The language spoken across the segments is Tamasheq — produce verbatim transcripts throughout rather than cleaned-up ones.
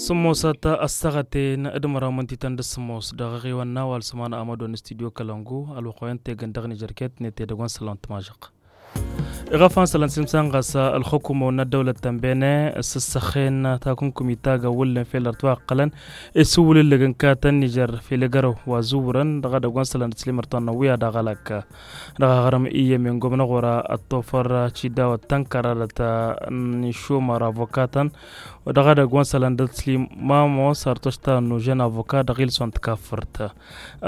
Tămmosăt ăssaɣăten d-măraw mǝntităn d-sămmos dăɣ-eɣewăn n-awal săman amădon studyo kălăngu ălwăqq wa ǝntegăn dăɣ-nižărket n-etedăgg wa n-săllan tămažăɣt. Iɣăfan sălăn simsan ɣas ălxukumăwăn n-ăddăwlăt tănbene s-ǝssăxen takǝnkumit tagăwwǝllen fel ărtwa ăqqălăn isǝwwǝlǝllăg n-katăn nižer fel egărăw wa zǝwwǝrăn dăɣ-edăgg wa n-sălăn d-slim ărtwa n-ăwwǝya dăɣ-alăk dăɣ-aɣrǝm iyyămen gomnăɣora ăttofăr cidawăt tănkăradăt n-išumăr avokatăn dăɣ-edăgg wa n-sălăn d-slim mamos ărtošta n-užen avoka dăɣ-ilson tikaffărt.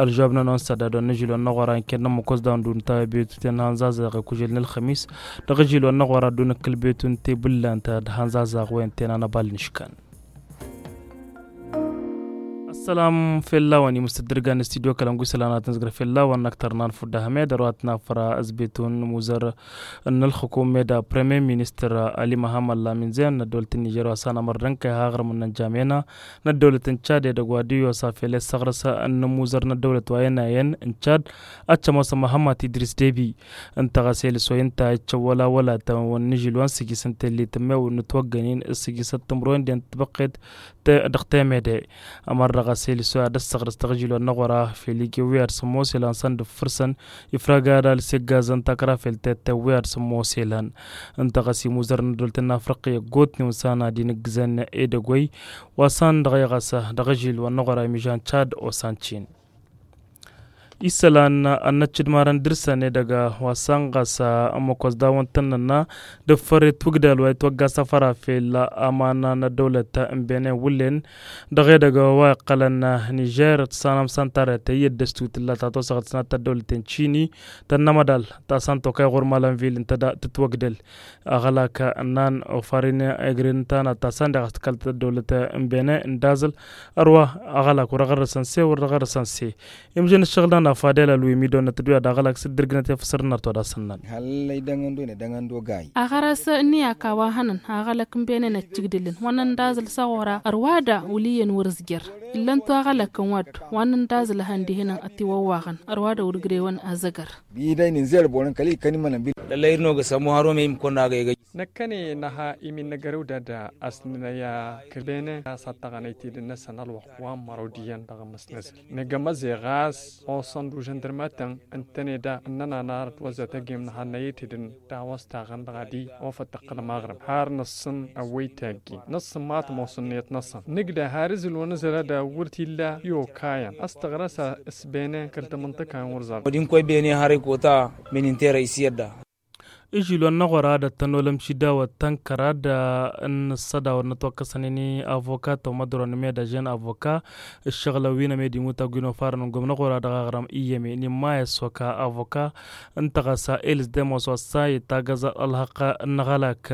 Ălžobnăn wa n-sădadon n-ažilon n-aɣora n-kennăn măkosdaw n-dunta betuten hanzazaɣ ikužel n-ălxămis dăɣ-ažilon n-aɣora d-unăkkăl betun tebǝllant d-hanzazaɣ wen tenanăbal n-iškan. Ăssălam fell-a-wen imǝstăddǝrgan n-studyo kălăngu isălan ad-tǝnzgăr fell-a-wen n-aktăr n-anfud ahmed ărwa tǝnafăra ăsbetun muzăr n-ălxukum meda premier ministăr ali măhammăd lamin zen n-ăddăwlăt n-nižer wa s-anămăr d-ănkăy haɣrǝm n-ănjamena n-ăddăwlăt n-cad edăgg wa d-iyyos a fel i-ăssăɣrăs n-imuzăr n-ăddăwlăt wa ăynayăn n-cad ad-t-ămoosăn măhămmăt idris debi. Ǝnta ɣas elǝs wa inta iccăwwăl-awălatăn wa n-ažil wa n-sǝjjǝs n-tellit n-mewǝn n-ǝtwăggănen s-sǝjjǝsăt timǝrwen den tibăqqet dăɣ-temede. Ămăr dăɣ-asel isoi ad-ăssăɣrǝs dăɣ-ažil wa n-aɣora fel ike wi ad-sămmoselăn săn d-ǝffǝrsăn ifrag ad-alǝs iggazăn takra fel tette wi ad-sămmoselăn. Ǝnta ɣas imuzărăn ăddolăt n-afriqi ăggootnen s-anad-inǝggǝzăn edăgg-oy wa s-an dăɣ-e ɣas dăɣ-ažil wa n-aɣora imižan cad osancin. Isălan ad-năccǝdmarăn dăr-săn edăgg wa s-an ɣas ămmăkos dawăn-tăn-nănna d-ǝffăr itwǝgdal wa itwăgga săfăra fel aman n-ăddăwlăt n-benen wǝllen dăɣ-edăgg wa iqqălăn nižer tǝssanăm s-ăntarăt i-dd-ăstu tǝlla ta tosăɣăt s-nat tăddăwlăt n-cini tănnămădal ta s-an tokay ɣur-malăn vil ǝnta da tǝtwăgdăl. Aɣălak ǝnnan ofarin egrin tana ta s-an deɣ a-s tǝkăl tăddăwlăt n-benen n-dazǝl ărwa aɣălak wăr ăɣărrăsăn se wăr ăɣărrăsăn se. Imjăn ǝššăɣǝl-nănăɣ fadel ălwimidon n-ăttădduya d-aɣălak s-dd-ǝrgǝnăt i-făsăr n-ărtodasăn-năn. Hăllăy dăŋ-ăndo-ne dăŋ-ăndo gay. Aɣăras ǝnniyăk a-wa hănăn aɣălăk n-benen ăccǝgdǝlăn wa n-ăndazǝl s-aɣora ărwa da wăl' iyyăn wăr-ǝzjăr. Ǝllăn-tu aɣălăkăn wa dd-wa n-ăndazǝl a hăn-dihinăn ătiwăwwaɣăn ărwa da wăr-ǝgrewăn azăgăr. Bidăy nǝnzerăb wăr-ǝnkăl ikăn imănăn bil. Lăllăy irnogăs ămuhar wa mey imkăwăn-agăy. Năkkăne năha imin n-agărew dad-asnăya kăl-benen a-s ad-taɣăn ăytedăn-năsăn ălwăqq wa n-măraw d-iyyăn dăɣ-amăsnăzăl. Năgg amăzeɣ a-s oṣăn d-užăn dărmatăn ǝntăne da ǝnnăn anarăt wăzăt ăgem năhannăy ăytedăn tawăstaɣăn dăɣ-adi ofăt tăqqălăm aɣrǝm har năṣṣăn ăwwăy taggi năṣṣăn ma tămoos ǝnniyăt-năsăn nǝgdă har izǝl wa n-azăl ad-wăr t-illa i-okayăn ăstăɣrăs a s-benen kăl-tamǝnṭăka n-wăr zăr. Wădin koy bene har ikota min-interăy s-iyyăt da. Ižilon n-aɣora ad-ăttănolăm šidawăt tănkăra d-ǝnnǝssădawăr n-ătwăkkăsăn-in avoka tomădron n-meda žen avoka ǝššăɣǝlăn wi n-emed imut agwin ofarăn n-gomna ɣora dăɣ-aɣrăm iyyăme n-imma i-ăssoka avoka. Ǝnta ɣas a elǝs demos wa s-a itagăẓ ălhăqq n-aɣălak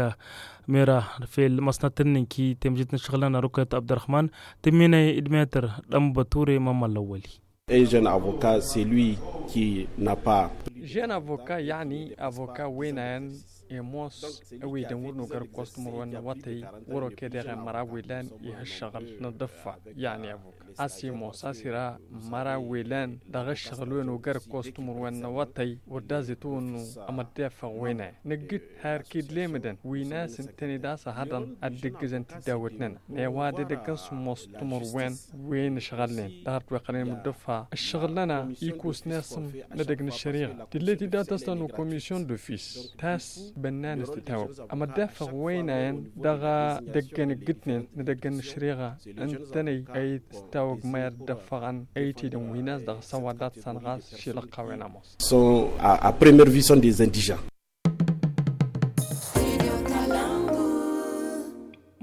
mera fel măsnăt n-inki temžit n-ǝššăɣǝl-nănăɣ rukăyăt abdărrăhman tǝmminăy d-metăr d-ănbăture mămmăllăwwăli. Un jeune avocat celui qui n'a pas. Jeune avocat yăɣni avocat wenayăn imoos ăwedăn wăr nogăr ǝkkoẓ timǝrwen n-awătăy wăr-okedeɣen măraw ilan ih'-ăššăɣǝl n-ad-dd-ǝffa yăɣni avocat a-s imoos a-s ira măraw ilan dăɣ-ǝššăɣǝl wen ogăr ǝkkoẓ timǝrwen n-awătăy wăr dazǝtwǝnnu. Amăddefăɣ wenayăn nǝggǝt har kid-lemǝdăn wi n-a-s ǝntăne d-a-s ăhăḍăn ad-dd-ǝggǝzăn tiddawăt-nănăɣ n-e-wa d-edăgg n-sǝmmos timǝrwen wen ǝšɣălnen dăɣ-ărtweqqălnen mǝddǝfa ǝššăɣǝl-nănăɣ ikus n-esǝm n-edăgg n-ăššăriɣa tǝllet-dd a tăstăn ukomisyon d-ofis ta s-bănnan s-titawăb. Amăddefăɣ wăynayăn dăɣ-edăgg n-ǝggǝtnen n-edăgg n-ăššăriɣa ǝntănăy ăyy s-tawăg măyăr dd-ăffăɣăn ăytedăn wi n-a-s dăɣ-s ăwaddat s-ănɣas šilăqqa wen ămoos. Sont à première vue sont des indigents.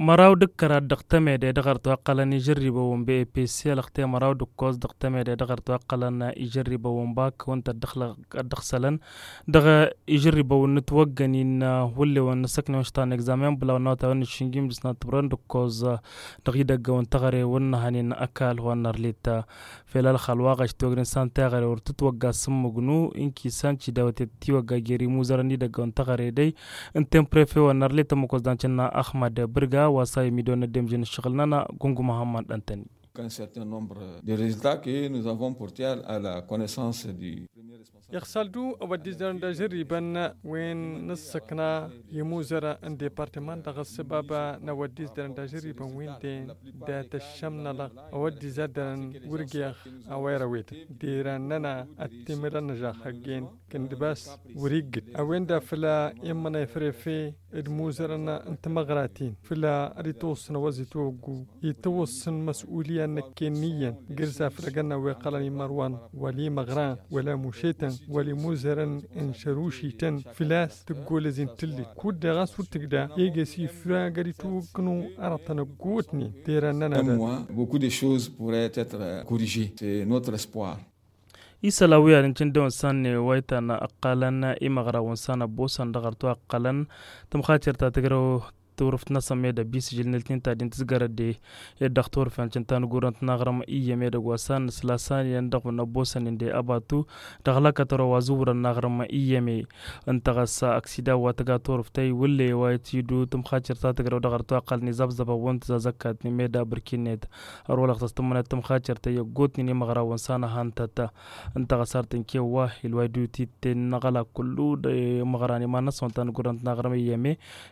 Măraw d-ǝkkăr ad-dăɣ-tămede dăɣ-ărtwa ǝqqălăn ižărribăwăn bepesi ălăxte măraw d-ǝkkoẓ dăɣ-tămede dăɣ-ărtwa ǝqqălăn ižărribăwăn bakăwăn-t ăddăɣ-sălăn dăɣ-ižărribăwăn n-ǝtwăggăn-in hullewen n-asăknewăn štan egzamen bǝlaw n-awătay wa n-išǝnjim d-ǝsnat timǝrwen d-ǝkkoẓ dăɣ-idăggăwăn taɣăre wăr nǝhănen ăkall wa n-arlit. Fel ălxal wa ɣaš tiwăgren s-an taɣăre wăr tǝtwăgga s-ǝmmǝgnu ǝnki s-an cidawăt i-tǝtiwăgga jer-imuzărăn n-idăggăwăn taɣăre dăy ǝnta i-prefe wa n-arlit ămmăkos d-ancănna ăxmăd bǝrga wa s-a imidăwăn n-ăddemžăn ǝššăɣǝl-nănăɣ gungu măhămmăd ăntăni. Qu'un certain nombre de résultats que nous avons portés à la connaissance du. Iɣsal-du ăwăddiz dăr-ǝnda žărribăn wen n-ǝssăkna i-imuzărăn n-departăman dăɣ-ăssăbab n-ăwăddiz dăr-ǝnda žărribăn wen-den dat-ăššămnălăɣ ăwăddiz ad-dărăn wăr geɣ a-wa irăwed. Derăn-nănăɣ ăttimǝlăn ăžžaɣ hăgg-en kǝndǝbas wăr-iggǝd a-wen-da fălla immănăy fărefe d-imuzărăn n-timăɣraten fălla ad-itwǝssǝn ăwăzit oggu itwǝssǝn măs'uliya n-năkken n-iyyăn gǝrz afrăgăn n-a-wa iqqălăn imărwan wăla imăɣran wăla mušetăn wăla imuzărăn n-šărušităn făl-a-s tǝggolăz-in tǝllit kud-dăɣ a-s wăr tǝgda eges ifrag ad-itwǝkkǝnu arătăn ăggootnen derăn-nănăɣ. Beaucoup de choses pourraient être corrigées, c'est notre espoir. Isălan wi ad-incǝn dăɣ-wăn s-anne wa itan ăqqalăn imăɣra wăn s-an ăbboosăn dăɣ-arăt wa ăqqalăn tǝmxacer ta tǝgrăw turǝft-năsăn med ăbbi s-ižǝl n-ǝltin ta din tǝzgărăd ed dăɣ-turǝfen cǝnta n-gurăn-t n-aɣrǝm iyyăm edăgg wa s-an nǝsla s-an iyyăn dăɣ-wăn ăbboosăn inde ăbatu dăɣ-lăkătăro wa zǝwwărăn n-aɣrǝm iyyăm. Ǝnta ɣas aksida wa tǝga turǝft ta iwǝlle wa itidu tǝmxacer ta tǝgrăw dăɣ-arăt wa ăqqalăn izabzăbăn wăn tǝzazăkkat n-med abǝrkinnet. Ărwălăɣ tăstǝmmănăt tǝmxacer ta i-ăggootnen imăɣra wăn s-an ăhantăt. Ǝnta ɣas ar tǝnkew wa ilway d-utiten n-aɣălak kullu d-imăɣran iman-năsăn wa n-ta n-gurăn-t n-aɣrǝm iyyăm.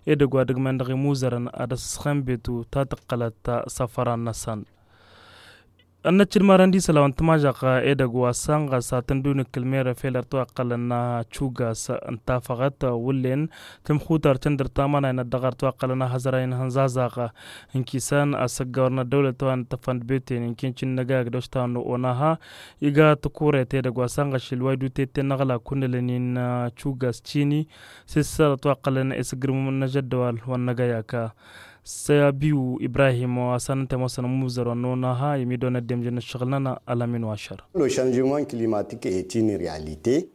Edăgg wa dăgg-men dăɣ-imuzărăn ad-ăssăsxănbetu ta tǝqqălăt s-afăran-năsăn. Ănnăcc d-imarăn d-isălan wa n-tǝmažăɣt edăgg wa s-anɣas ad-tăn-dd-unǝkkǝl merăn fel ărăt wa ǝqqălăn n-acugas n-tafăɣăt wǝllen tǝmxutar tǝndǝr tamănay n-ad-dăɣ ărăt wa ǝqqălăn ahăzray n-ihănzazaɣ. Ǝnkisan asăggawăr n-ăddăwlăt wa n-tăfănd beten ǝnken cǝnnăgayăk d-oštanu onaha iga tăkuret edăgg wa s-anɣăšil wa iduteten n-aɣlak kunnălăn-in acugas cini s-isărăt wa ǝqqălăn isǝgrǝm n-ažăddăwal wa n-năgayăk. Săbiw ibrahim wa s-anăntămosăn ămmuzăr wa n-onaha i-midon ăddemjăn n-ǝššăɣǝl-nănăɣ ălămin wa ašăr.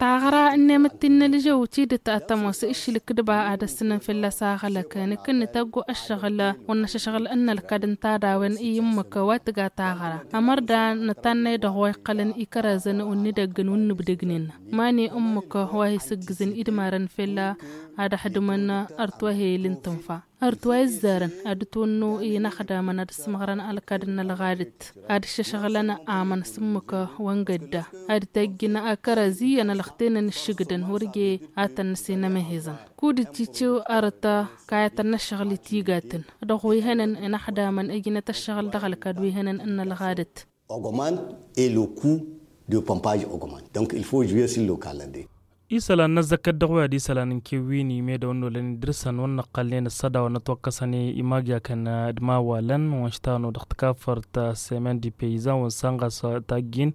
Taɣra ǝnnem d-tinnălžăw tidǝt ad-tămoos iššǝl ǝkkǝdba ad-ăssǝnăn fălla-s aɣălăk nǝkǝnnǝt ăggu ăššăɣǝl wăr năššăšɣǝl n-inălkad n-tadawen i-ǝmmǝk wa tǝga taɣra ămărda nǝtannăy dăɣ-wa iqqălăn ikărăzăn wǝnnǝdăggăn wǝnnǝbdǝgnen. Mani ǝmmǝk wa hi-sǝggǝzăn idmarăn fălla ad-ăxdǝmăn ărtwăhel n-tǝnfa ărtwăy ǝzzarăn ad-ǝtwǝnnu i-inăxdamăn ad-ǝssǝmɣărăn ălkad n-ălɣadǝt ad-ǝššăšɣǝlăn amăn s-ǝmmǝk wa n-gădda ad-tăjjǝn akărăz iyyăn ălăxtenăn ǝššǝgdăn wăr je ad-tăn-nǝsǝnămăhezăn. Kud-dd-ciciw arăt kayătăn n-ăššăɣǝl i-tigatăn dăɣ-wi hănen inăxdamăn ǝjnăt ăššăɣǝl dăɣ-ălkad wi hănen n-ălɣadǝt. Augmente et le coût de pompage augmente, donc il faut jouer sur le calendrier. Isălan n-ăzzăkkăt dăɣ-wa d-isălan n-kewwini medăw n-olăn idrǝsăn wăr năqqălnen ăssădawăn ătwăkkăsăn i-imagyakăn d-imawalăn wănš tano dăɣ-tǝkafărt semen di peyizan wănsan ɣas tajjin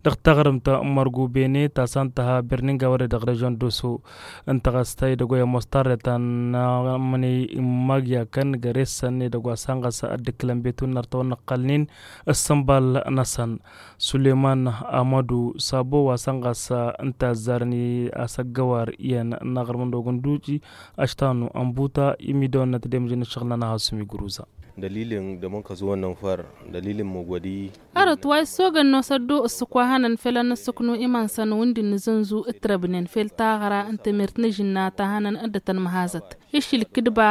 dăɣ-taɣrǝmt n-mărgubene ta s-an tăha birninga wăr-e dăɣ-režion d-oso. Ǝnta ɣas ta idăgg wa i-ămoos tarreta n-amăney n-imagyakăn găre-săn edăgg wa s-an ɣas ăddǝkkǝlăn betun n-artăwăn năqqălnen ǝssǝnbal-năsăn. Suleman amădu sabo wa s-ănɣas ǝnta ăzzarăn i-asăggăwar iyyăn n-aɣrǝm n-dogǝnduci ăštanu ănbuta imidăwăn n-ad-tădemjăn ǝššăɣǝl-nănăɣ a-s umigruza. Dălilin dămănkăẓ-wăn n-infăr dălilin măgwădi. Ărăt wa issogăn n-osăddu ǝssǝk wa hănăn fel ad-nǝssǝknu iman-săn wǝndǝn nǝzǝnzu ǝtrăbnen fel taɣra n-temert n-ažǝnna ta hănăn dd-tăn-măhazăt iššǝl kǝdba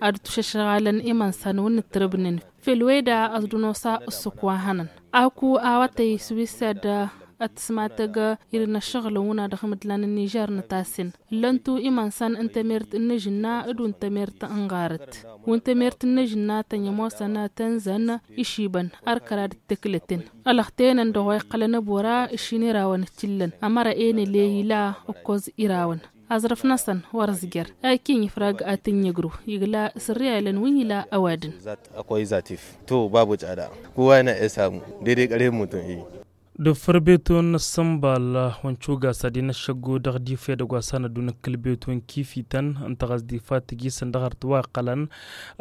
ad-tušăšɣalăn iman-săn wǝnnǝtrăbnen. Fel weda ăẓdǝnosa ǝssǝk wa hănăn aku awătăy s-wi s-ad-tǝsmatăg irǝn ăššăɣǝlăn wǝnna dăɣ-imǝdlan n-nižer n-tasen ǝllăn-tu iman-săn n-temert n-ažǝnna d-wǝn temert n-ɣarăt wǝn temert n-ažǝnna tănjămosăn tănzăn išibăn ărkărad d-tăklăten ălăxtenăn dăɣ-wa iqqălăn ăbora ǝššin irawăn ǝččǝllăn ămăra enăle ila ǝkkoẓ irawăn. Aẓrǝf-năsăn wăr-ăzjăr akin ifrag ad-tǝnjăgru igla s-ărriyalăn wi n-ila ăwadǝn. Ăkoy zatif to babu căda kuwa ena esamu dede kăre mutun i. D-fărbetun n-ăssănbal wa n-cugas ad-inăššăggu dăɣ-dife dăgg-wa s-anăddu n-ǝkkǝl betun kifităn ǝnta ɣas difa tǝjisăn dăɣ-arăt wa ǝqqălăn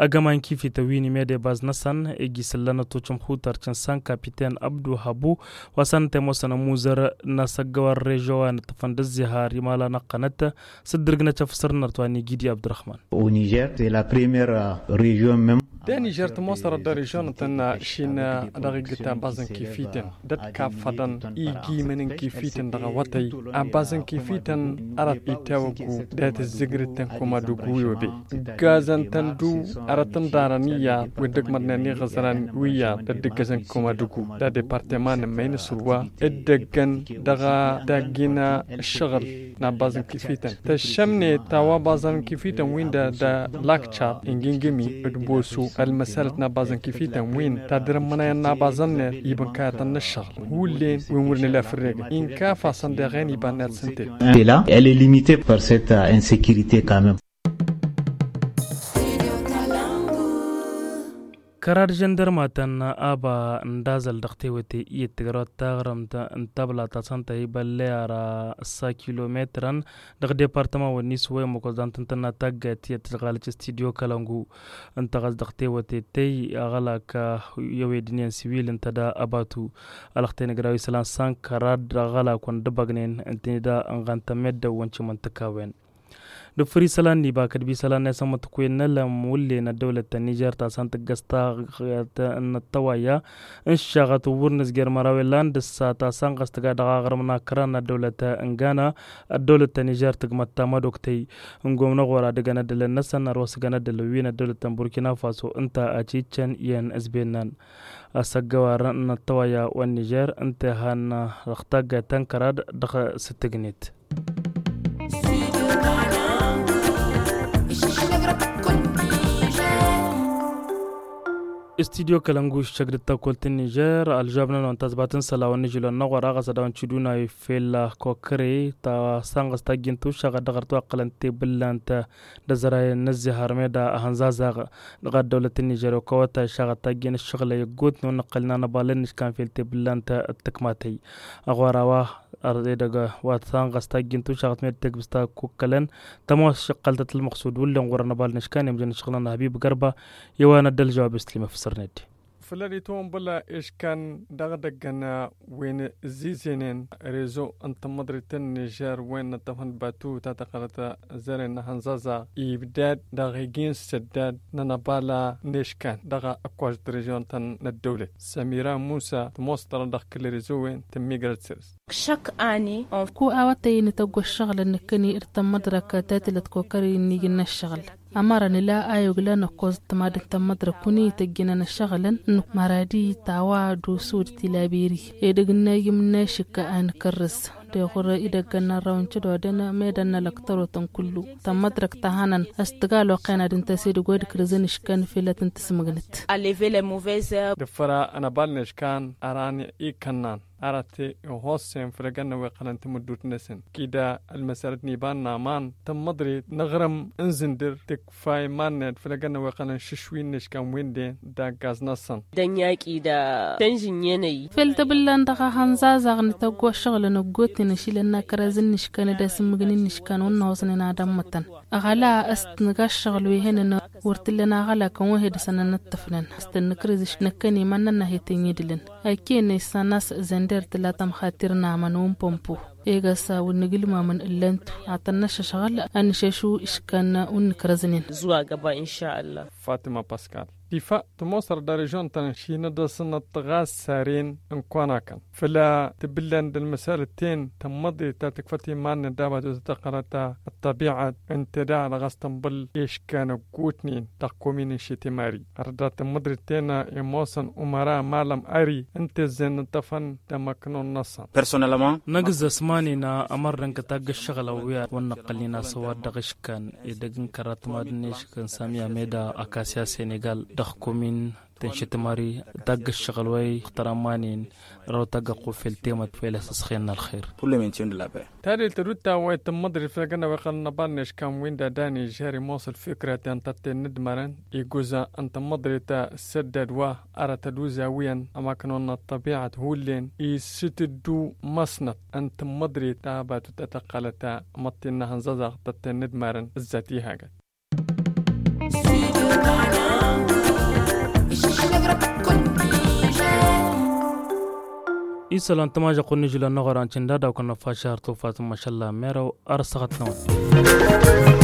ăgg ăman kifităn wi n-imede baz-năsăn iji s-ǝllăn ătučăm xutar cǝnsan kapiten abdu habu wa s-anăt ămoosăn ămuzăr n-asăggăwar režo wa n-ǝṭṭăfăn d-ǝzzihar imalan ăqqănăt s-dd-ǝrgǝnăt afǝsăr n-arăt wa n-igidi abdurăxman. Au niger c'est la première režion mem. Danižer tămoosărăt dăr-ižonătăn šin dăɣ-iggǝt abbazăn kifităn d-ătkaffăḍăn igimăn n-kifităn dăɣ-awătăy. Abbazăn kifităn arăt itawăggu dat-ǝzzǝgrǝt tăn-koma d-uggu wi obe. Gazăn-tăn-du arăt ǝnḍarăn iyyăḍ wi dd-ǝkmăḍnen iɣǝzran wi iyyăḍ dd-ǝggăzăn koma d-uggu d-adepartăman n-măyna s-urwa dd-ăggăn dăɣ-taggină ǝššăɣǝl n-abbazăn kifităn tăššămnet a-wa baẓăn kifităn-win da lakcat ingingǝmi d-bosu ălmăsalăt n-abaẓăn kifităn-win ta dăr-ămmănayăn n-abaẓăn-net ibǝnkayătăn n-ǝššăɣǝl hullen wi n-wăr nǝla fǝrregăn inkaf-asăn deɣ ănibannăt s-ǝnta. Ela elle est limitée par cette insécurité quand même. Kăra d-žăndărmatăn aba n-dazăl dăɣ-tewăte iyyăt tǝgrăwăt taɣrǝmt n-tabla ta săn tăhibălle ara ǝssa kilometrăn dăɣ-departăman wănni s-wăyăn măkoẓ da n-tǝntănna taggayt tiyyăt tǝžɣalăt s-tidyo kălăngu ǝntăɣăs dăɣ-tewăte tey aɣălak i-ăwedǝniyăn siwil ǝnta da ăbatu. Ălăxten ǝgraw isălan sankăra d-aɣălak wăn dd-ăbăgnen ǝntăne da ănɣan tămmeddăw wăn cimăn tǝkawen. Dăɣ-făr isălan n-iba kăd-bi isălan n-esămmăt kuyen n-elăm wǝllen ăddăwlăt ta n-nižer ta săn tǝggăs taɣăt n-ăttăwayya n-šaɣăt wăr nǝzjer mărawen lan d-ǝssa ta săn ɣas tǝga dăɣ-aɣrǝm n-akra n-ăddăwlăt n-gana. Ăddăwlăt ta n-nižer tǝgmăt tamădoktăy n-gomnăɣ wăr-ad-ǝgăn ăddălăn-năsăn ărwa s-ǝgăn ăddălăn wi n-ăddăwlăt ta n-burkina faso ǝnta a cǝyyǝččăn iyyăn s-bennan. Asăggăwar n-ăttăwayya wa n-nižer ǝnta ihăn dăɣ-taggayt ta n-kărad dăɣ-s tǝgnet. Studyo kălăngu iššăk d-tăkkolt n-nižer ălžabnăn wa n-tazbat n-isălan wa n-nižilon n-aɣora ɣas ad-dăɣ-nǝcǝduna i-fella kokăre ta sanɣăs tajjint ušaɣ ad-dăɣ-ărtwaqqălăn tebǝllant d-azărayen n-ăzzihar meda ahănzazaɣ. Dăɣ-ăddăwlăt n-nižer okăwăt a išaɣăt tajjin ǝššăɣǝlăy ăggootnen wa n-ǝqqălnen anăbal n-iškan fel tebǝllant d-tǝkmatăy. Aɣora wa ărḍe dăgg wa t-sanɣăs tajjin tušaɣăt med tegbǝst ta kukkălăn. Tămoos šăqqăltăt ălmăqsud wǝllen ɣur-anăbal n-iškan i-mǝjăn išɣǝlăn ăhbib gărba i-wa n-ăddăl žăwab islim ăfsărned. Fălări tăwănbăla iškan dăɣ-dăggăn wen zizenen rezo n-tămmăḍrit n-nižer wen n-ăṭṭăfăn batu ta tăqqălăt zăre n-ahănzaza ibdad dăɣ-igin săddad n-anăbala n-iškan dăɣ-ăkkoš d-rezion-tăn n-ăddăwlăt. Sămira musa tămoos tărăt dăɣ-kǝl rezo wen tǝmmigrăt săr-s. Šăkk ani. Ku awătăy nǝtăgg ăššăɣǝlăn nǝkkăni d-tămmăḍrăk ta tǝlăt kokări n-ijǝn n-ăššăɣǝl. Ămărăn ila a yoglan ăkkoẓ d-tămad n-tămmăḍrăk wǝnnǝy tăjjǝnăn ăššăɣǝlăn n-măradi tawa d-usud tilaberi. Edăgg n-ajǝm n-ašǝkka a nǝkărrǝs d-eɣur idăggăn n-arraw n-cădodăn meddǝn n-alăktărotăn kullu. Tămmăḍrăk ta hănăn a-s tǝga ăloqen ad-ǝnta s-edăgg wa d-kărǝzăn iškan felăt n-tǝsmǝgnǝt. Dăɣ-făra ănăbal n-iškan ărani ikănnan arăt ihossen făll-egănna wa iqqălăn tamǝddut-năsăn kida ălmăsălăt n-iba n-aman tămmăḍrit n-aɣrǝm n-zǝndǝr tǝkfa iman-net făll-egănna wa iqqălăn šǝšwi n-iškan wi n-den d-aggaz-năsăn. Dănyak-i da tănžǝnyenăy. Fel tăbǝllan dăɣ-ahănzazaɣ n-tăggošăɣlăn ăggoten ašilăn n-akărăz n-iškan d-asǝmmǝgǝn n-iškan wăr năhoẓnen ad-ămmătăn. Ăɣăla a-s t-nǝga ăššăɣǝl wi hănen wăr t-ǝllăn aɣălakăn wa hedăsăn ănnăttăfnăn a-s tăn-nǝkrǝz iškan năkkăne iman-nănna hetăn-idǝlăn. Ăkkenăy s-a n-a-s zănder tǝla tămxatir n-amăn wa n-pămpo. Egăsa wǝnnǝg ǝlmamăn ǝllăn-tu ad-tăn-năššăšɣǝl ad-nǝššăšǝw iškan wa n-nǝkrăznen. Zuwa găba inša allah. Fatima paskal tifa tămoosăr d-arežion-tăn šinădăsnăt ɣas saren n-konakăn fălla tǝbǝllan d-ălmăsalăt-ten tămmăḍe ta tǝkfăt iman-net d-abatut tăqqărăt ăṭṭăbi'ăt ǝnta daɣ dăɣ-s tănbăl eškan ăggutnen dăɣ-komin n-šetemari. Ărdat tămmăḍrit-ten imoosăn umăra malăm ări ǝnta ăzzăn ǝṭṭăfăn d-amăknon-năsăn. Personelăman năgǝzzăs manen ămărnăn kătagg ăššăɣǝl ăwwiyat wăr năqqălnen asăwad dăɣ-iškan edăgg n-kărat mad-neškăn samiya meda akasya senegal dăɣ-komin tănšǝtmări tagg ăššăɣǝl wa ixtăra manen. Răw tagg ăqqufel temăt fel asăsxen n-ălxer. Tadelt tădut ta wa itǝmmăḍrit făll-egănna wa iqqălăn ăbal n-eškan wi n-dada nižer imoos ălfikra ta n-tătte n-inǝdmărăn iguzan n-tǝmmăḍrit ta s-săddad wa ara tăduza wi n-amăknăwăn n-ăṭṭăbi'ăt hullen isǝtǝddu măsnăt n-tǝmmăḍrit ta abatut ta tăqqălăt ta măṭṭin n-ahănzăzăɣ tătte n-inǝdmărăn ǝzzat ihagăt. Isălan tămažăɣ-kăwăn n-ižǝlăn n-aɣora n-cǝnda daw-kăwăn năfašăr tufat n-mašălla merăw ar săɣăt-năwăn.